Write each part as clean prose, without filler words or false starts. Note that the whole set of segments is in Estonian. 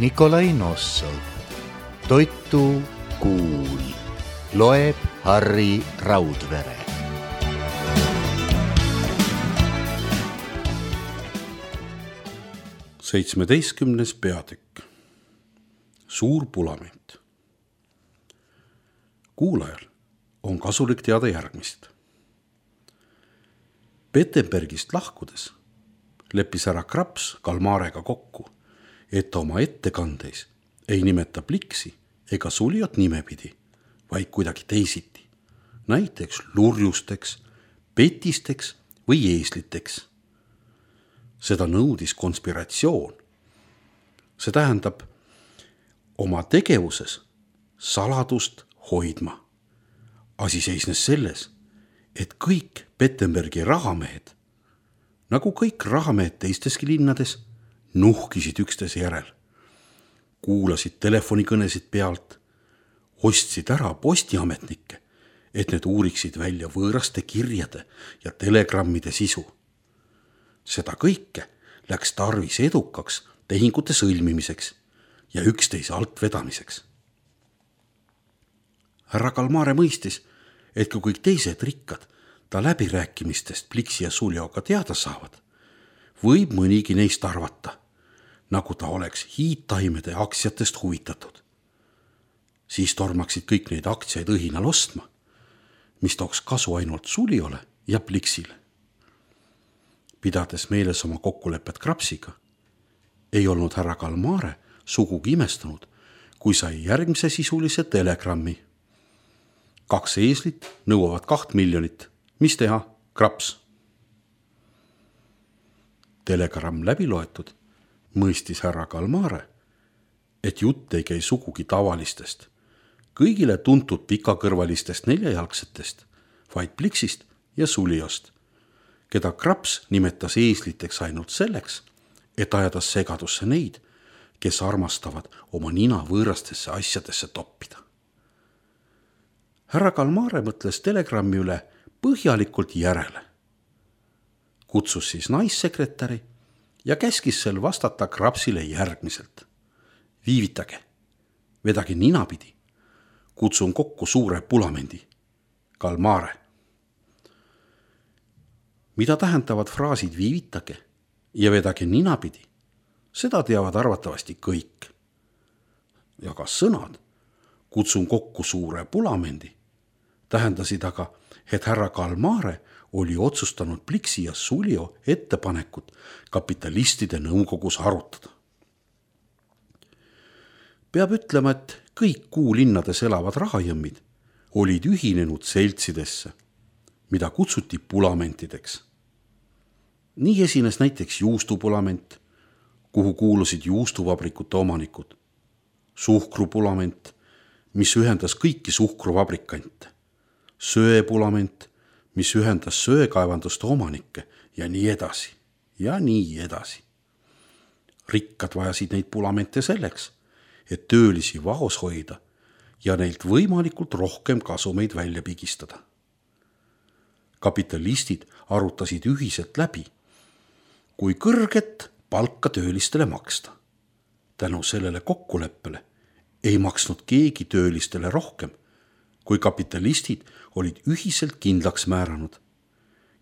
Nikolai Nossov. Toitu kuul. Loeb Harri Raudvere. Seitsmeteistkümnes peatükk. Suur pulament. Kuulajal on kasulik teada järgmist. Petenbergist lahkudes leppis härra Kraps Kalmarega kokku, et oma ettekandeis ei nimeta Pliksi ega Suliot nimepidi, vaid kuidagi teisiti. Näiteks lurjusteks, petisteks või eesliteks. Seda nõudis konspiratsioon. See tähendab oma tegevuses saladust hoidma. Asi seisnes selles, et kõik Petenbergi rahamehed, nagu kõik rahamehed teisteski linnades, nuhkisid üksteise järel. Kuulasid telefonikõnesid pealt, ostsid ära postiametnikke, et need uuriksid välja võõraste kirjade ja telegrammide sisu. Seda kõike läks tarvis edukaks tehingute sõlmimiseks ja üksteise alt vedamiseks. Härra Kalmare mõistis, et kui kõik teised rikkad ta läbirääkimistest Pliksi ja Suljoga teada saavad, võib mõnigi neist arvata, nagu ta oleks hiidtaimede aktsiatest huvitatud. Siis tormaksid kõik neid aktsiaid õhinal ostma, mis tooks kasu ainult Suljole ja Pliksile. Pidades meeles oma kokkulepet Krapsiga, ei olnud härra Kalmare sugugi imestunud, kui sai järgmise sisulise telegrammi. 2 eeslit nõuavad 2 miljonit. Mis teha, Kraps? Telegramm läbi loetud, mõistis härra Kalmare, et jutt ei käi sugugi tavalistest, kõigile tuntud pikakõrvalistest neljajalgsetest, vaid Pliksist ja Suljost, keda Kraps nimetas eesliteks ainult selleks, et ajada segadusse neid, kes armastavad oma nina võõrastesse asjadesse toppida. Härra Kalmare mõtles telegrammi üle põhjalikult järele. Kutsus siis naissekretäri ja käskis sel vastata Krapsile järgmiselt. Viivitage, vedage ninapidi, kutsun kokku suure pulamendi. Kalmare. Mida tähendavad fraasid viivitage ja vedage ninapidi, seda teavad arvatavasti kõik. Ja ka sõnad kutsun kokku suure pulamendi tähendasid aga, et härra Kalmare oli otsustanud Pliksi ja Suljo ettepanekut kapitalistide nõukogus arutada. Peab ütlema, et kõik kuulinnades elavad rahajõmmid olid ühinenud seltsidesse, mida kutsuti pulamentideks. Nii esines näiteks juustupulament, kuhu kuulusid juustuvabrikute omanikud, suhkrupulament, mis ühendas kõiki suhkruvabrikante, söepulament, mis ühendas söekaevanduste omanikke ja nii edasi ja nii edasi. Rikkad vajasid neid pulamente selleks, et töölisi vaos hoida ja neilt võimalikult rohkem kasumeid välja pigistada. Kapitalistid arutasid ühiselt läbi, kui kõrget palka töölistele maksta. Tänu sellele kokkuleppele ei maksnud keegi töölistele rohkem, kui kapitalistid olid ühiselt kindlaks määranud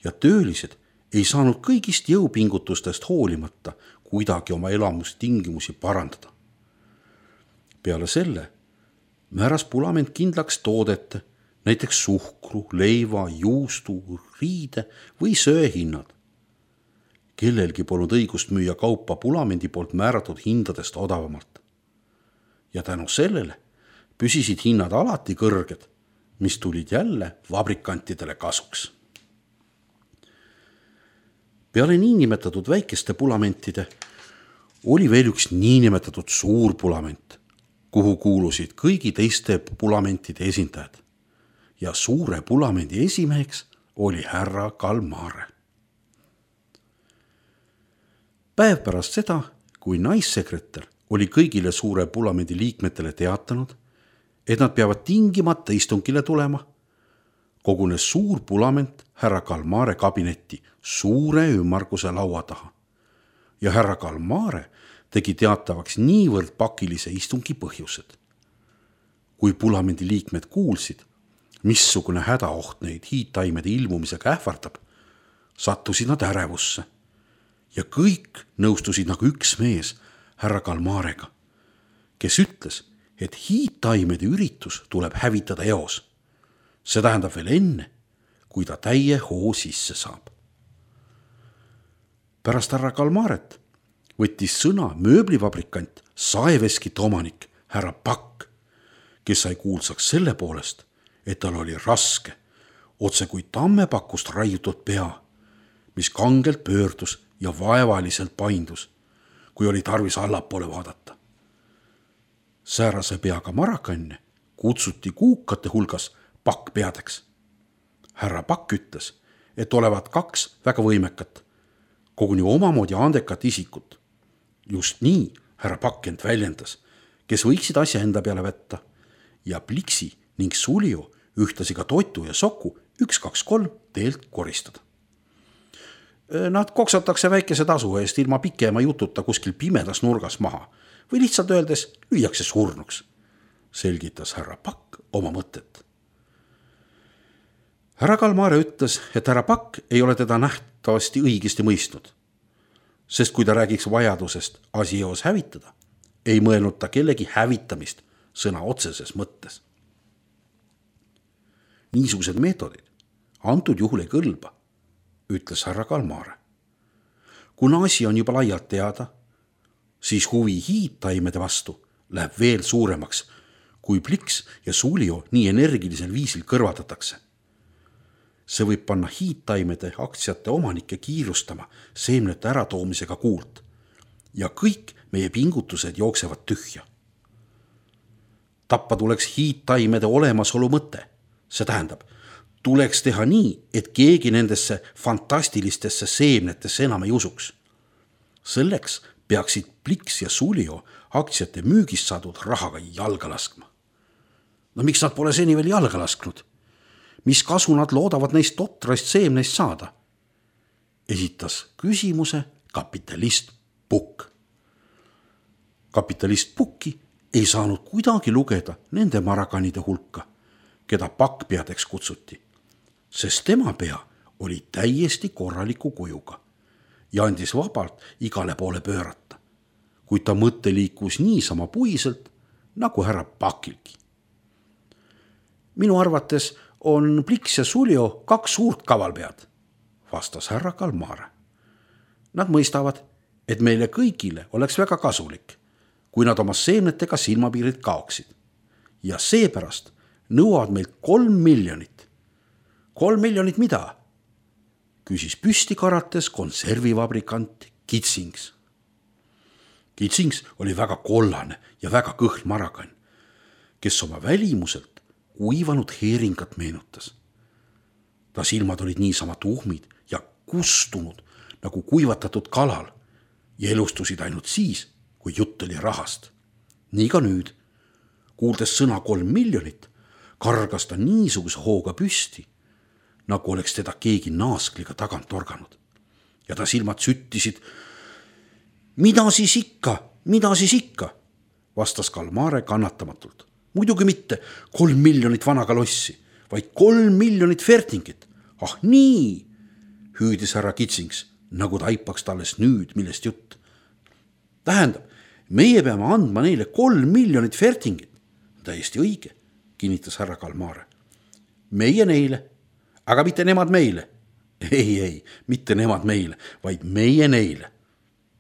ja töölised ei saanud kõigist jõupingutustest hoolimata kuidagi oma elamustingimusi parandada. Peale selle määras pulament kindlaks toodete, näiteks suhkru, leiva, juustu, riide või söehinnad. Kellelgi polnud õigust müüa kaupa pulamendi poolt määratud hindadest odavamalt. Ja tänu sellele püsisid hinnad alati kõrged, mis tulid jälle vabrikantidele kasuks. Peale niinimetatud väikeste pulamentide oli veel üks niinimetatud suur pulament, kuhu kuulusid kõigi teiste pulamentide esindajad. Ja suure pulamendi esimeheks oli härra Kalmare. Päev pärast seda, kui naissekretär oli kõigile suure pulamendi liikmetele teatanud, et nad peavad tingimata istungile tulema, kogunes suur pulament härra Kalmare kabinetti suure ümmarguse laua taha ja härra Kalmare tegi teatavaks niivõrd pakilise istungi põhjused. Kui Pulamenti liikmed kuulsid, missugune hädaoht neid hiidtaimede ilmumisega ähvardab, sattusid nad ärevusse ja kõik nõustusid nagu üks mees härra Kalmarega, kes ütles, et hiidtaimede üritus tuleb hävitada eos. See tähendab veel enne, kui ta täie hoo sisse saab. Pärast härra Kalmaret võttis sõna mööblivabrikant saeveskite omanik härra Pakk, kes sai kuulsaks selle poolest, et tal oli raske, otse kui tammepakust raiutud pea, mis kangelt pöördus ja vaevaliselt paindus, kui oli tarvis allapoole vaadata. Säärase peaga marakanne kutsuti kuukate hulgas pakkpeadeks. Härra Pakk ütles, et olevat kaks väga võimekat, koguni omamoodi andekat isikut. Just nii härra Pakk end väljendas, kes võiksid asja enda peale võtta ja Pliksi ning Sulio ühtlasi ka Totu ja Soku 1, 2, 3 teelt koristada. Nad koksatakse väikese tasu eest ilma pikema jututa kuskil pimedas nurgas maha või lihtsalt öeldes lüüakse surnuks, selgitas härra Pakk oma mõtet. Härra Kalmare ütles, et härra Pakk ei ole teda nähtavasti õigesti mõistnud, sest kui ta räägiks vajadusest asi eos hävitada, ei mõelnud ta kellegi hävitamist sõna otseses mõttes. Niisugused meetodid antud juhul ei kõlba, ütles härra Kalmare. Kuna asi on juba laialt teada, siis huvi hiidtaimede vastu läheb veel suuremaks, kui Pliks ja Sulio nii energilisel viisil kõrvaldatakse. See võib panna hiidtaimede aktsiate omanikke kiirustama seemnete äratoomisega kuult ja kõik meie pingutused jooksevad tühja. Tappa tuleks hiidtaimede olemasolu mõte. See tähendab, tuleks teha nii, et keegi nendesse fantastilistesse seemnetesse enam ei usuks. Selleks peaksid Pliks ja Sulio aktsiate müügist saadud rahaga jalga laskma. No miks nad pole seni veel jalga lasknud? Mis kasu nad loodavad neist totrast seemneist saada? Esitas küsimuse kapitalist Pukk. Kapitalist Pukki ei saanud kuidagi lugeda nende marakanide hulka, keda pakkpeadeks kutsuti, sest tema pea oli täiesti korraliku kujuga ja andis vabalt igale poole pöörata, kuid ta mõte liikus niisama puiselt nagu härra Pakilgi. Minu arvates on Pliks ja Sulio kaks suurt kavalpead, vastas härra Kalmare. Nad mõistavad, et meile kõigile oleks väga kasulik, kui nad oma seemnetega silmapiirid kaoksid ja seepärast nõuavad meilt 3 miljonit. 3 miljonit mida? Küsis püsti karates konservivabrikant Kitsings. Kitsings oli väga kollane ja väga kõhn marakann, kes oma välimuselt kuivanud heeringat meenutas. Ta silmad olid niisama tuhmid ja kustunud nagu kuivatatud kalal ja elustusid ainult siis, kui jutt oli rahast. Nii ka nüüd, kuuldes sõna 3 miljonit, kargas ta niisuguse hooga püsti, nagu oleks teda keegi naaskliga tagant torganud. Ja ta silmad süttisid. Mida siis ikka, vastas Kalmare kannatamatult. Muidugi mitte 3 miljonit vana kalossi, vaid 3 miljonit fertingit. Ah nii, hüüdis härra Kitsings, nagu taipaks talles nüüd, millest jutt. Tähendab, meie peame andma neile 3 miljonit fertingit. Täiesti õige, kinnitas härra Kalmare. Meie neile, aga mitte nemad meile. Ei, mitte nemad meile, vaid meie neile.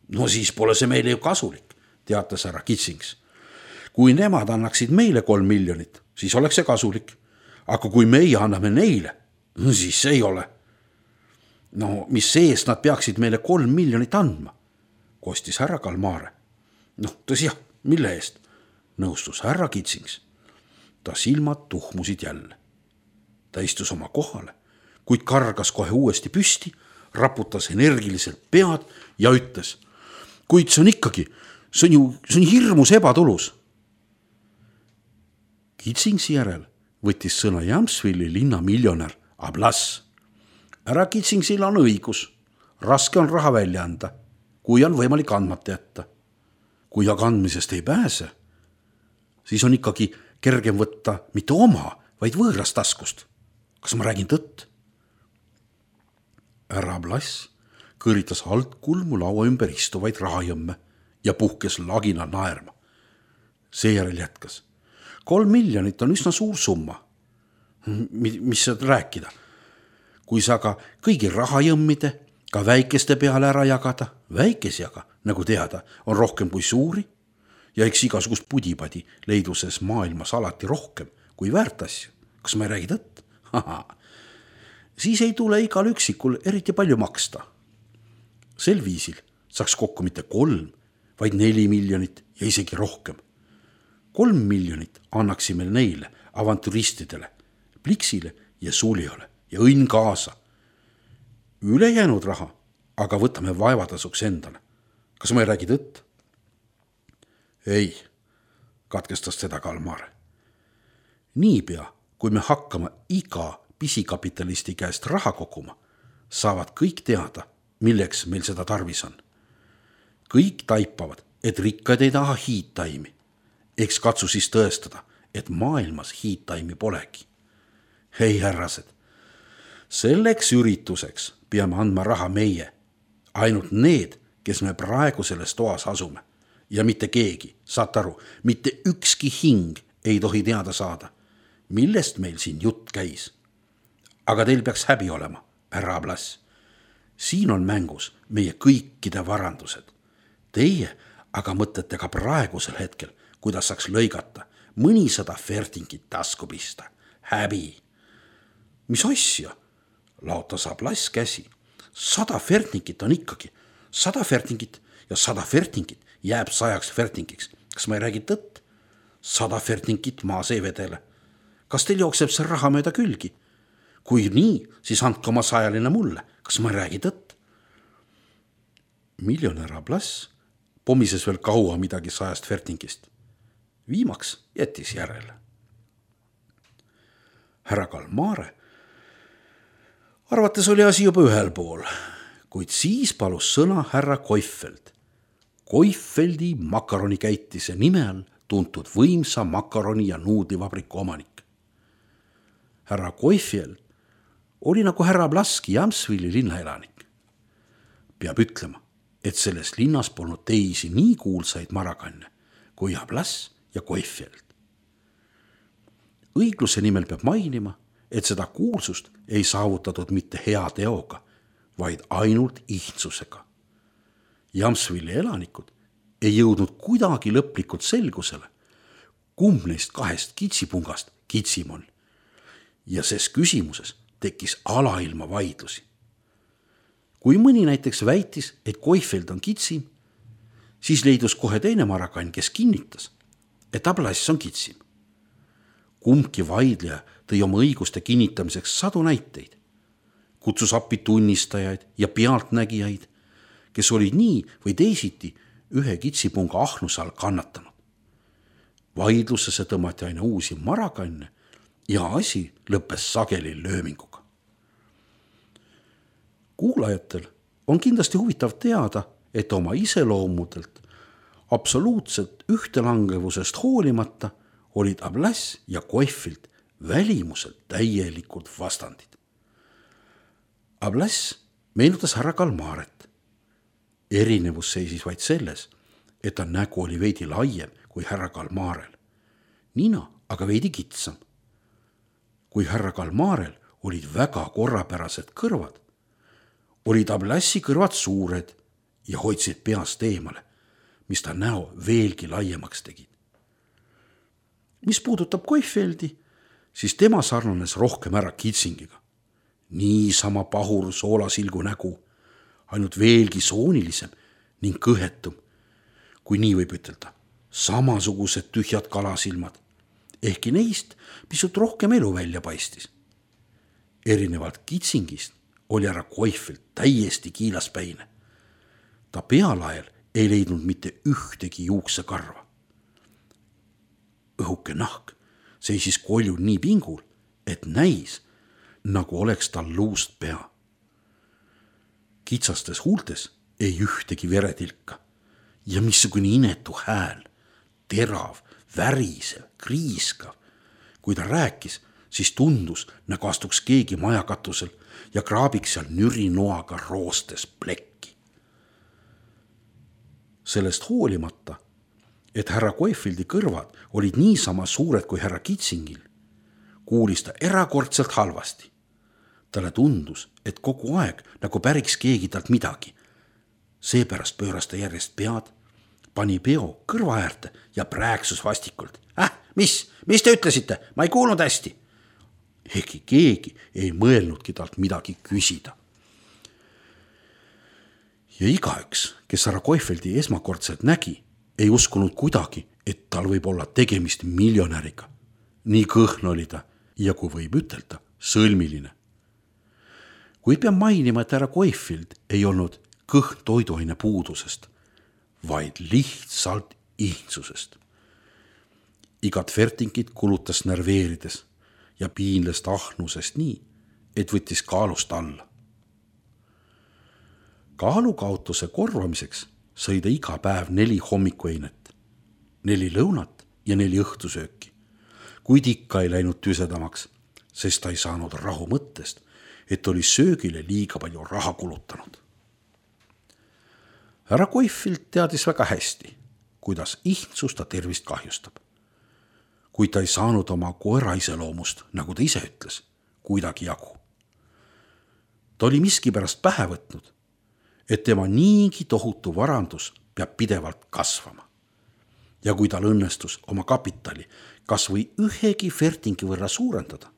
No siis pole see meile ju kasulik, teatas härra Kitsings. Kui nemad annaksid meile 3 miljonit, siis oleks see kasulik. Aga kui meie anname neile, siis see ei ole. No mis sees nad peaksid meile 3 miljonit andma, kostis härra Kalmare. Tõsi jah, mille eest? Nõustus härra Kitsings. Ta silmad tuhmusid jälle. Ta istus oma kohale, kuid kargas kohe uuesti püsti, raputas energiliselt pead ja ütles, kuid see on ikkagi, see on hirmus ebatulus. Kitsingsi järel võttis sõna Jamsvilli linna miljonär Ablas. Härra Kitsingsil on õigus, raske on raha välja anda, kui on võimalik andmata jätta. kui aga andmisest ei pääse, siis on ikkagi kergem võtta mitte oma, vaid võõrast taskust. Kas ma räägin tõtt? Härra Blass kõritas alt kulmu laua ümber istuvaid rahajõmme ja puhkes lagina naerma. Seejärel jätkas. 3 miljonit on üsna suur summa. Mis saad rääkida? Kui sa aga kõigi rahajõmmide, ka väikeste peale ära jagada, väikesi aga, nagu teada, on rohkem kui suuri ja eks igasugust pudipadi leiduses maailmas alati rohkem kui väärtasju. Kas ma ei räägi tõtt? Siis ei tule igal üksikul eriti palju maksta. Sel viisil saaks kokku mitte 3, vaid 4 miljonit ja isegi rohkem. 3 miljonit annaksime neile avanturistidele, Pliksile ja Suljale ja õnn kaasa. Ülejäänud raha aga võtame vaevatasuks endale. Kas ma ei räägi tõtt? Ei, katkestas teda Kalmar. Niipea, kui me hakkame iga pisikapitalisti käest raha koguma, saavad kõik teada, milleks meil seda tarvis on. Kõik taipavad, et rikkad ei taha hiidtaimi. Eks katsu siis tõestada, et maailmas hiidtaimi polegi. Hei härrased, selleks ürituseks peame andma raha meie, ainult need, kes me praegu selles toas asume. Ja mitte keegi, saad aru, mitte ükski hing ei tohi teada saada, millest meil siin jutt käis. Aga teil peaks häbi olema, härra Blass. Siin on mängus meie kõikide varandused. Teie aga mõtlete ka praegusel hetkel, kuidas saaks lõigata mõnisada fertingit tasku pista. Häbi. Mis asja? Laotas Blass käsi. 100 fertingit on ikkagi 100 fertingit ja 100 fertingit jääb 100 fertingiks. Kas ma ei räägi tõtt? 100 fertingit maas ei vedele. Kas teil jookseb see raha mööda külgi? Kui nii, siis andke oma 100 mulle. Kas ma ei räägi tõtt? Miljonär Blass pomises veel kaua midagi 100 fertingist. Viimaks jättis järele. Härra Kalmare arvates oli asi juba ühel pool, kuid siis palus sõna härra Koifeld. Koifeldi makaronikäitise nime all tuntud võimsa makaroni ja nuudlivabriku omanik. Härra Koifeld oli nagu härra Blaski Jamsvili linnaelanik. Peab ütlema, et selles linnas polnud teisi nii kuulsaid marakanne kui Blass ja Koifeld. Õigluse nimel peab mainima, et seda kuulsust ei saavutatud mitte hea teoga, vaid ainult ihtsusega. Jamsvili elanikud ei jõudnud kuidagi lõplikult selgusele, kumb neist 2 kitsipungast kitsim on. Ja ses küsimuses tekkis alailma vaidlusi. Kui mõni näiteks väitis, et Koifeld on kitsim, siis leidus kohe teine marakann, kes kinnitas, et Blass on kitsim. Kumbki vaidleja tõi oma õiguste kinnitamiseks 100 näiteid. Kutsus appi tunnistajaid ja pealtnägijaid, kes olid nii või teisiti ühe kitsipunga ahnuse all kannatanud. Vaidlusesse tõmmati aina uusi marakanne ja asi lõppes sageli lööminguga. Kuulajatel on kindlasti huvitav teada, et oma iseloomudelt absoluutselt ühtelangevusest hoolimata olid Blass ja Koifeld välimuselt täielikult vastandid. Blass meenutas härra Kalmaret. Erinevus seisis vaid selles, et ta nägu oli veidi laiem kui härra Kalmarel. Nina aga veidi kitsam. Kui härra Kalmarel olid väga korrapärased kõrvad, olid Blassi kõrvad suured ja hoidsid peast eemale, mis ta näo veelgi laiemaks tegid. Mis puudutab Koifeldi, siis tema sarnanes rohkem ära kitsingiga. Niisama pahur soolasilgu nägu, ainult veelgi soonilisem ning kõhetum, kui nii võib ütelda, samasugused tühjad kalasilmad, ehkki neist pisut rohkem elu välja paistis. Erinevalt kitsingist oli härra Koifeld täiesti kiilaspäine. Ta pealael ei leidnud mitte ühtegi juuksekarva. Õhuke nahk seisis kolju nii pingul, et näis, nagu oleks tal luust pea. Kitsastes huultes ei ühtegi veretilka ja missugune inetu hääl, terav, värisev, kriiskav. Kui ta rääkis, siis tundus, nagu astuks keegi majakatusel ja kraabiks seal nürinoaga roostes plekki. Sellest hoolimata, et härra Koefieldi kõrvad olid niisama suured kui härra Kitsingil, kuulis ta erakordselt halvasti. Talle tundus, et kogu aeg nagu päriks keegi talt midagi. Seepärast pööras ta järjest pead, pani peo kõrva äärde ja prääksus vastikult. Mis te ütlesite? Ma ei kuulnud hästi. Ehkki keegi ei mõelnudki talt midagi küsida. Ja igaüks, kes härra Koefieldi esmakordselt nägi, ei uskunud kuidagi, et tal võib olla tegemist miljonäriga. Nii kõhn oli ta ja kui võib ütelda, sõlmiline. Kui pean mainima, et härra Koefield ei olnud kõhn toiduaine puudusest, vaid lihtsalt ihtsusest. Igat fertingit kulutas närveerides ja piinlest ahnusest nii, et võttis kaalust alla. Kaalukaotuse korvamiseks sõi ta iga päev 4 hommikueinet, 4 lõunat ja 4 õhtusööki, kuid ikka ei läinud tüsedamaks, sest ta ei saanud rahu mõttest, et oli söögile liiga palju raha kulutanud. Härra Koefield teadis väga hästi, kuidas ihtsus ta tervist kahjustab. Kuid ta ei saanud oma koera iseloomust, nagu ta ise ütles, kuidagi jagu. Ta oli miskipärast pähe võtnud, et tema niigi tohutu varandus peab pidevalt kasvama. Ja kui tal õnnestus oma kapitali kas või ühegi fertingi võrra suurendada,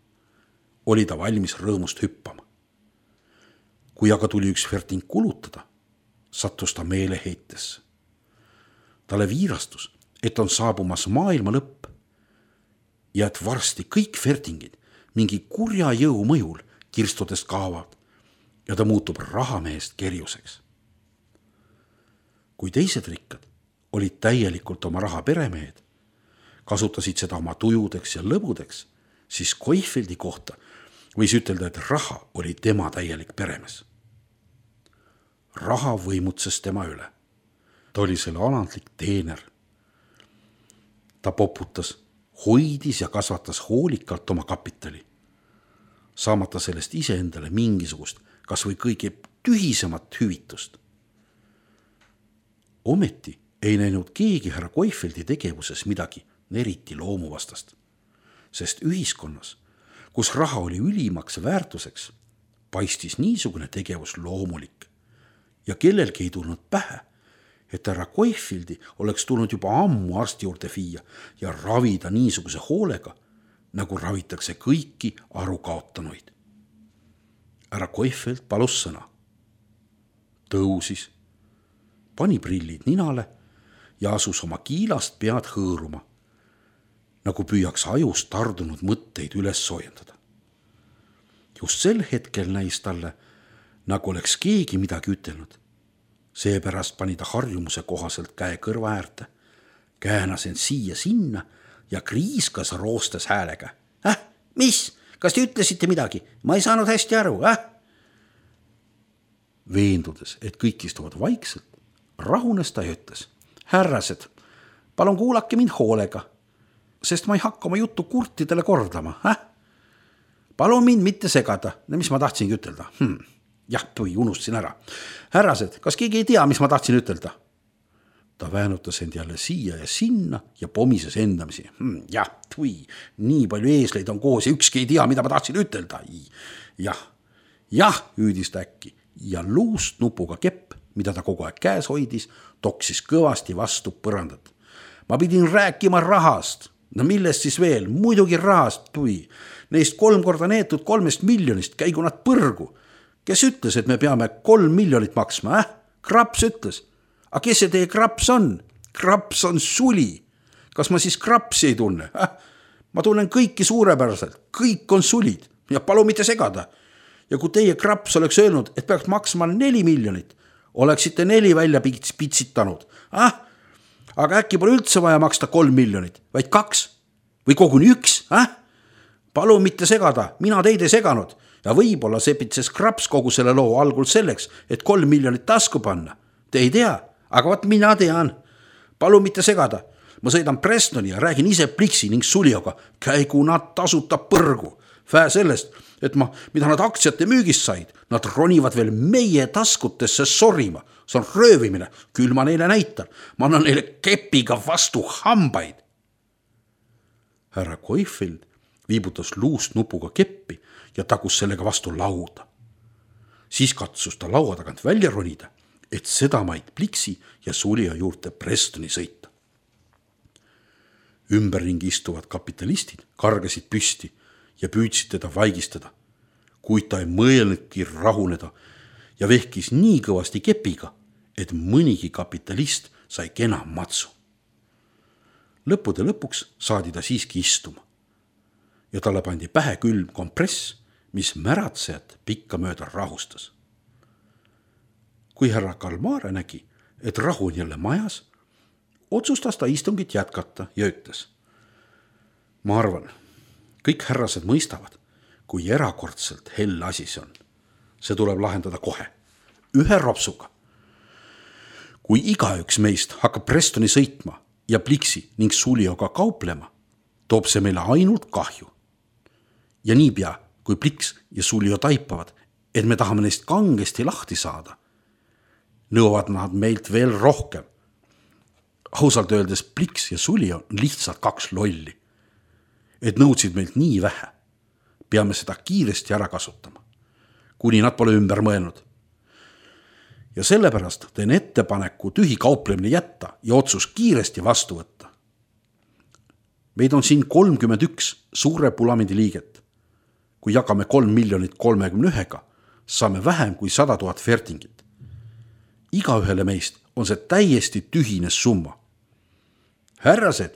oli ta valmis rõõmust hüppama. Kui aga tuli üks ferting kulutada, sattus ta meeleheitesse. Talle viirastus, et on saabumas maailma lõpp ja et varsti kõik fertingid mingi kurja jõu mõjul kirstudest kaovad ja ta muutub rahamehest kerjuseks. Kui teised rikkad olid täielikult oma raha peremehed, kasutasid seda oma tujudeks ja lõbudeks, siis Koefieldi kohta võis ütelda, et raha oli tema täielik peremees. Raha võimutses tema üle. Ta oli selle alandlik teener. Ta poputas, hoidis ja kasvatas hoolikalt oma kapitali, saamata sellest iseendale mingisugust, kas või kõige tühisemat hüvitust. Ometi ei näinud keegi härra Koefieldi tegevuses midagi eriti loomuvastast, sest ühiskonnas, kus raha oli ülimaks väärtuseks, paistis niisugune tegevus loomulik ja kellelgi ei tulnud pähe, et härra Koefieldi oleks tulnud juba ammu arsti juurde viia ja ravida niisuguse hoolega, nagu ravitakse kõiki arukaotanuid. Härra Koefield palus sõna. Tõusis, pani prillid ninale ja asus oma kiilast pead hõõruma, nagu püüaks ajust tardunud mõtteid üles soojendada. Just sel hetkel näis talle, nagu oleks keegi midagi ütelnud. Seepärast pani ta harjumuse kohaselt käe kõrva äärde, käänas end siia-sinna ja kriiskas roostes häälega. Mis? Kas te ütlesite midagi? Ma ei saanud hästi aru, Veendudes, et kõik istuvad vaikselt, rahunes ta ja ütles. Härrased, palun kuulake mind hoolega, sest ma ei hakka oma juttu kurtidele kordama, Palun mind mitte segada, mis ma tahtsingi ütelda. Jah, unustasin ära. Härrased, kas keegi ei tea, mis ma tahtsin ütelda? Ta väänutas end jälle siia ja sinna ja pomises endamisi. Nii palju eesleid on koos ja ükski ei tea, mida ma tahtsin ütelda. Jah, hüüdis ta äkki ja luust nupuga kepp, mida ta kogu aeg käes hoidis, toksis kõvasti vastu põrandat. Ma pidin rääkima rahast. No millest siis veel? Muidugi rahast, Neist 3 korda neetud 3 miljonist käigu nad põrgu. Kes ütles, et me peame 3 miljonit maksma, Kraps ütles. Aga kes see teie Kraps on? Kraps on suli. Kas ma siis Krapsi ei tunne? Ma tunnen kõiki suurepäraselt. Kõik on sulid ja palun mitte segada. Ja kui teie Kraps oleks öelnud, et peaks maksma 4 miljonit, oleksite 4 välja pitsitanud. Aga äkki pole üldse vaja maksta 3 miljonit, vaid 2 või koguni 1, Palun mitte segada, mina teid ei seganud ja võib-olla sepitses Kraps kogu selle loo algul selleks, et 3 miljonit tasku panna. Te ei tea, aga vaat mina tean. palun mitte segada. Ma sõidan Prestoni ja räägin ise Pliksi ning Sulioga. Käigu nad tasuta põrgu. Vähe sellest, et mida nad aktsiate müügist said, nad ronivad veel meie taskutesse sorima. See on röövimine, küll ma neile näitan. Ma annan neile kepiga vastu hambaid. Härra Koifeld viibutas luust nupuga keppi ja tagus sellega vastu lauda. Siis katsus ta laua tagant välja ronida, et sedamaid Pliksi ja Sulio juurde Prestoni sõita. Ümberringi istuvad kapitalistid kargasid püsti ja püüdsid teda vaigistada, kuid ta ei mõelnudki rahuneda ja vehkis nii kõvasti kepiga, et mõnigi kapitalist sai kena matsu. Lõppude lõpuks saadi ta siiski istuma ja talle pandi pähe külm kompress, mis märatsejat pikka mööda rahustas. Kui härra Kalmare nägi, et rahu on jälle majas, otsustas ta istungit jätkata ja ütles: ma arvan, kõik härrased mõistavad, kui erakordselt hell asi see on. See tuleb lahendada kohe, ühe ropsuga. Kui igaüks meist hakkab Prestoni sõitma ja Pliksi ning Sulioga kauplema, toob see meile ainult kahju. Ja niipea, kui Pliks ja Sulio taipavad, et me tahame neist kangesti lahti saada, nõuavad nad meilt veel rohkem. Ausalt öeldes Pliks ja Sulio on lihtsalt kaks lolli, et nõudsid meilt nii vähe. Peame seda kiiresti ära kasutama, kuni nad pole ümber mõelnud. Ja sellepärast teen ettepaneku tühi kauplemine jätta ja otsus kiiresti vastu võtta. Meid on siin 31 suure Pulamendi liiget. Kui jagame 3 031, saame vähem kui 100 000 fertingit. Igaühele meist on see täiesti tühine summa. Härrased,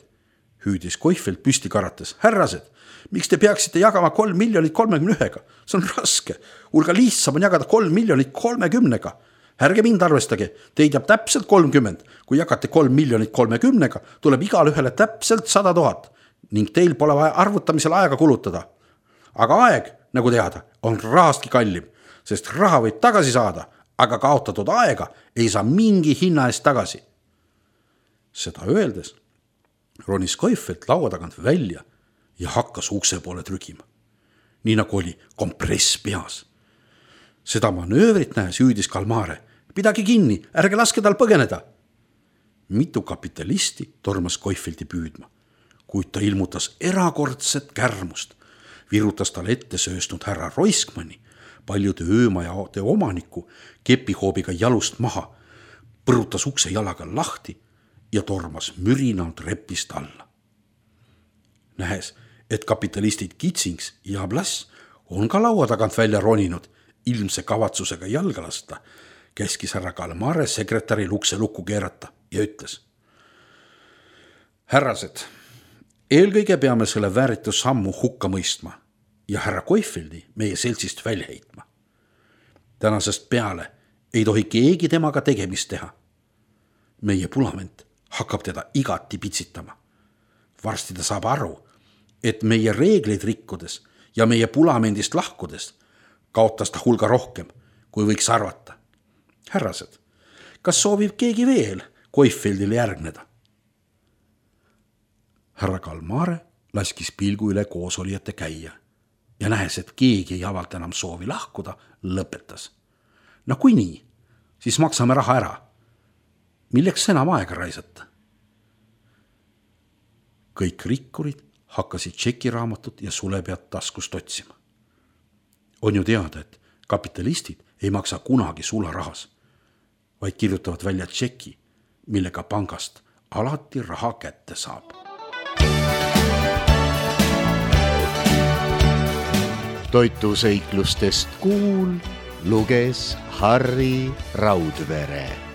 hüüdis Koifeld püsti karates. Härrased, miks te peaksite jagama 3 031? See on raske. Hulga lihtsam on jagada 3 030. Ärge mind arvestage, teid jääb täpselt 30. Kui jagate 3 030, tuleb igale ühele täpselt 100 000 ning teil pole vaja arvutamisel aega kulutada. Aga aeg, nagu teada, on rahastki kallim, sest raha võib tagasi saada, aga kaotatud aega ei saa mingi hinna eest tagasi. Seda öeldes ronis Koifeld laua tagant välja ja hakkas ukse poole trügima. Nii nagu oli kompress peas. Seda manöövrit nähes hüüdis Kalmare. Pidagi kinni, ärge laske tal põgeneda. Mitu kapitalisti tormas Koifeldi püüdma, kuid ta ilmutas erakordset kärmust. Virutas tal ette sööstnud härra Roiskmanni, paljude öömajade omaniku, kepihoobiga jalust maha, põrutas ukse jalaga lahti ja tormas mürinalt repist alla. Nähes, et kapitalistid Kitsings ja Blass on ka laua tagant välja roninud, ilmse kavatsusega jalga lasta, käskis härra Kalmare sekretäril ukse lukku keerata ja ütles: härrased, eelkõige peame selle vääritu sammu hukka mõistma ja härra Koifeldi meie seltsist välja heitma. Tänasest peale ei tohi keegi temaga tegemist teha. Meie Pulament hakkab teda igati pitsitama. Varsti ta saab aru, et meie reegleid rikkudes ja meie Pulamendist lahkudes kaotas ta hulga rohkem, kui võiks arvata. Härrased, kas soovib keegi veel Koifeldile järgneda? Härra Kalmare laskis pilgu üle koosolijate käia ja nähes, et keegi ei avalda enam soovi lahkuda, lõpetas. No kui nii, siis maksame raha ära. Milleks enam aega raisata? Kõik rikkurid hakkasid tšekiraamatut ja sulepead taskust otsima. On ju teada, et kapitalistid ei maksa kunagi sularahas, vaid kirjutavad välja tšeki, millega pangast alati raha kätte saab. Toituseiklustest kuul luges Harri Raudvere.